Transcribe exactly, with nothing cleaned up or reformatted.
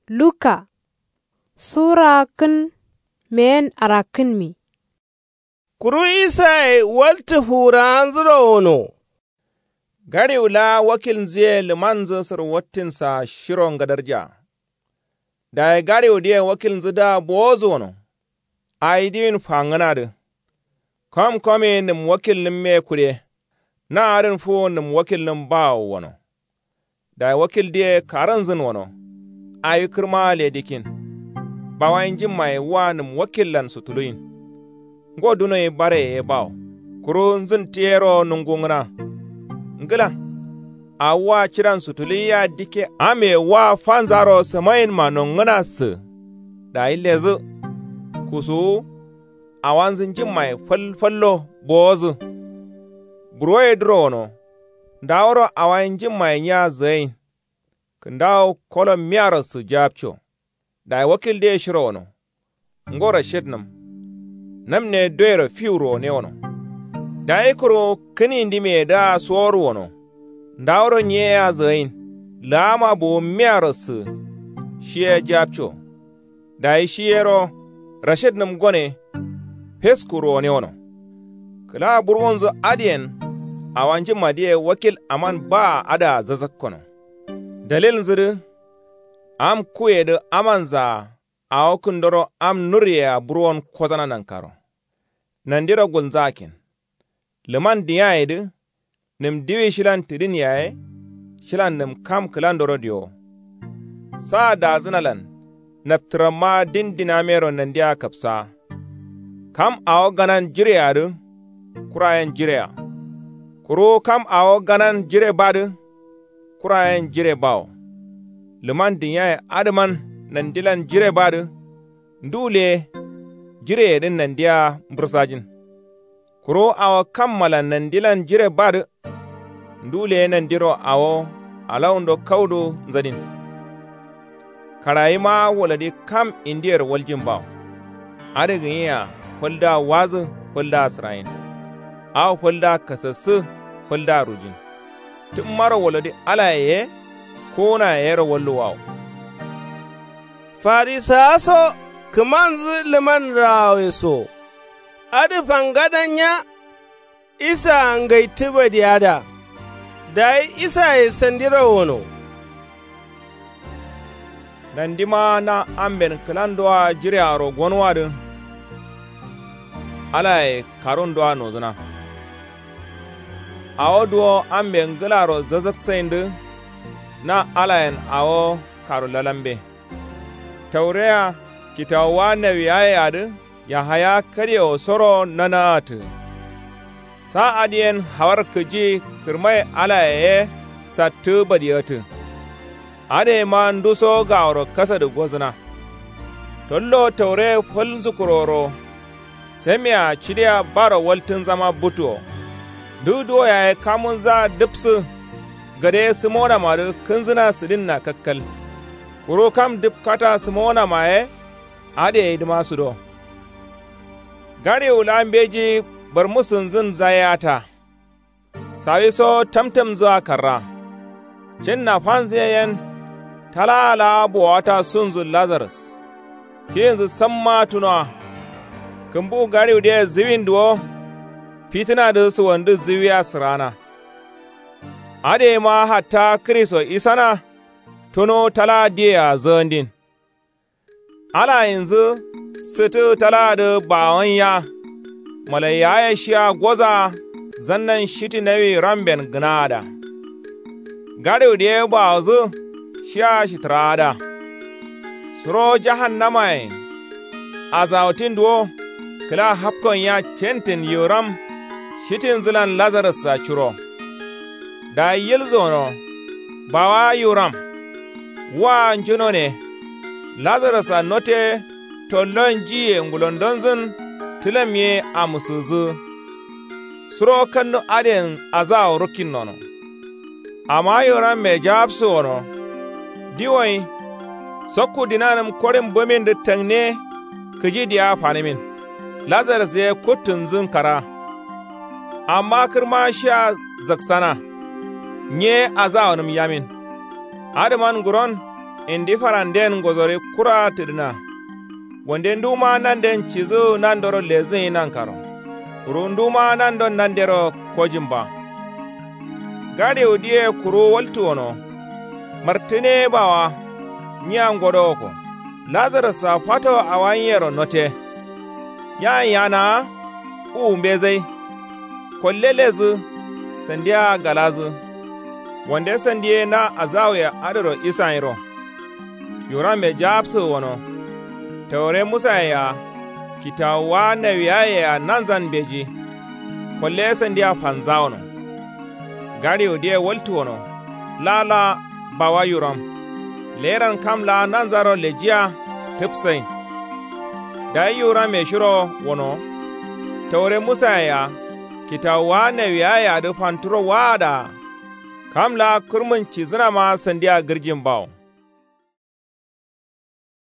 Luka sura kǝn meyen arakkǝnmi. Kuru isaye waltǝ furawanzǝro wono. Gadiwu laa wakilnzǝye lǝmanzǝ sǝrwattinsa shiro ngadarja. Dayi gadiwudǝye wakilnzǝdǝa bowozǝ wono. Awi diwin fangǝnadǝ. Kom komi nǝm wakilnǝmme kude. Na adǝn fuwu nǝm wakilnǝm bawo wono. Dayi wakildǝye karǝnzǝn wono. Awi kǝrmawa le dikkin. Bawayi njimmaye wa nǝm wakillan sutuluyin. Ngo dunoyi bareye ye bawo. Kuru nzǝntǝyero nungungǝna. Ngla. Awo wa cidan sutuluyiya dikke amye wa fanzaro sǝmayinma nongǝna sǝ. Dayi lezǝ. Kusuwu. Awanzǝ njimmaye fal fallo bowozǝ. Buroyedǝro wono. Ndaworo awayi njimmaye nya zǝgain. Kǝndawo kolo miyaro sǝ japco. Dayi wakildǝye shiro wono. Ngo rashidnǝm. Namne doyero fiwu ruwone wono. Dayi kuru kǝnindimiyedǝa sowor wono. Ndaworo nyeyea zǝgain. Lǝgama buwu miyaro sǝ. Shiye japco. Dayi shi yero rashidnǝm gone. Fesku ruwone wono. Kǝla burwunzǝ adǝyen. Awanjǝmmadǝye wakil aman baa adǝa zazakkono. Dalilnzǝdǝ. Am kuyedǝ amanzaa. Awo kǝndoro am nurriyea burwon kozana nankaro. Nandiro gulnzakkin. Lǝman diyayedǝ. Nǝm diwi shilan tidin yaye. Shilan nǝm kam kǝlandoro diyowo. Saa dazǝnalan. Naptǝramma din dinamero nandia kapsaa. Kam awo ganan jireadǝ. Kurayen jirea. Kuru kam awo ganan jire badǝ. Kurayen jire bawo. Lǝman dinyaye adǝman nandilan jire badǝ. Ndu le. Jireyedǝn nandia mbǝrsajin. Kuru awo kammalan nandilan jire badǝ. Ndu le nandiro awo alawundo kaudo nzadin. Karayima waladi kam indiyer waljin bawo. Adǝ gǝnyiya faldǝa wazǝ faldǝa sǝrayin. Awo faldǝa kasassǝ faldǝa rujin. Tǝmmaro waladi alaye ye. Kuwunaye yero walluwawo. Farisawa so kǝmanzǝ lǝman rawawe so. Adǝ fangada nya. Isaa ngaitǝ badiyada. Dayi isaye sandiro wono. Nandima na amben kǝlandoa jirearo gonwadǝ. Alaye karundoa nozǝna. Awo duwo ambe ngǝlaro zazaksaindǝ. Na alayen awo karu lalambe. Taureya kitawuwa nawiyaye adǝ. Yahaya kadiyewo soro nanaatǝ. Sa adǝyen hawar kǝji kǝrmaye alaye ye sattǝ badigatǝ. Adǝyema nduso gaworo kasadǝ gozǝna. Tollo taure fal nzukuroro. Samiya cidiya baro waltǝnzama butuwo. Duk duwo yaye kamunza dǝpsǝ. Gade sǝmonamadǝ kǝnzǝna sǝdinna kakkal. Kuru kam dǝpkata sǝmonama ye. Adǝ yeyidǝma sudo. Gariwu la mbeji barmusǝnzǝn zayata. Sawiso tamtamzǝa karra. Cinna fanzǝye yen. Talaa laa bowata sunzǝ lazarus. Kiyinzǝ samma tunowa. Kǝmbu gariwudǝye zǝwin duwo. Fitǝnadǝ suwandǝ zǝwiya sǝrana. Adǝyema hatta kǝriso isana. Tuno talaa diyea zǝgandin. Alayinzǝ sǝtǝ talaadǝ bawon ya. Malaiyaye shiya goza. Zannan shiti nawi ramben gǝnaada. Gariwudǝ ye bawodǝ shiya shitǝraada. Suro jahannamayen. Azawutin duwo kǝla hapkon ya centen yiwuram. Shitinzǝlan lazarussa curo. Dayi yilzono. Bawa yiwuram. Wa njunone. Lazarusa note. Tollon jiye ngulondonzǝn. Tǝlam ye amusǝzǝ. Suro kannu adǝyen azawo rukkin nono. Amma yiwuramme jawabsǝ wono. Diwoyi. Sokku dinanǝm korin bǝmindǝ tangne. Kǝji diya fanǝmin. Lazarus ye kuttǝnzǝn kara. Amma kǝrma shiya zaksana. Nyi ye azawonǝm yamin. Adǝman nguron. Indi faranden ngozori kura tǝdǝna. Wande nduma nanden cidǝ nandoro lezǝ ye nankaro. Kuru nduma nandon nandero kojin ba. Gadiwu diye kuru waltu wono. Martǝne bawa. Nyiya ngodo woko. Lazarus sa fato awa nyiyero note. Yayin yana. Uwu mbezai. Kolle lezǝ. Sandiya galazǝ. Wande sandiye na azawuye adǝro isanyiro. Yuramme jaabsǝ wono. Taure musaye ya. Kitawuwa nawiyaye ya nanzan mbeji. Kolle sandiya fanzawono. Gadiwu diye waltu wono. Lala. Bawa yuram. Leran kam la nanzaro lejiya. Tǝpsain. Dayi yuramme shiro wono. Taure musaye ya. Kitawuwa nawiyaye adǝ fanturo waada. Kam la kǝrmǝn cizǝnama sandiya gǝrjin bawo.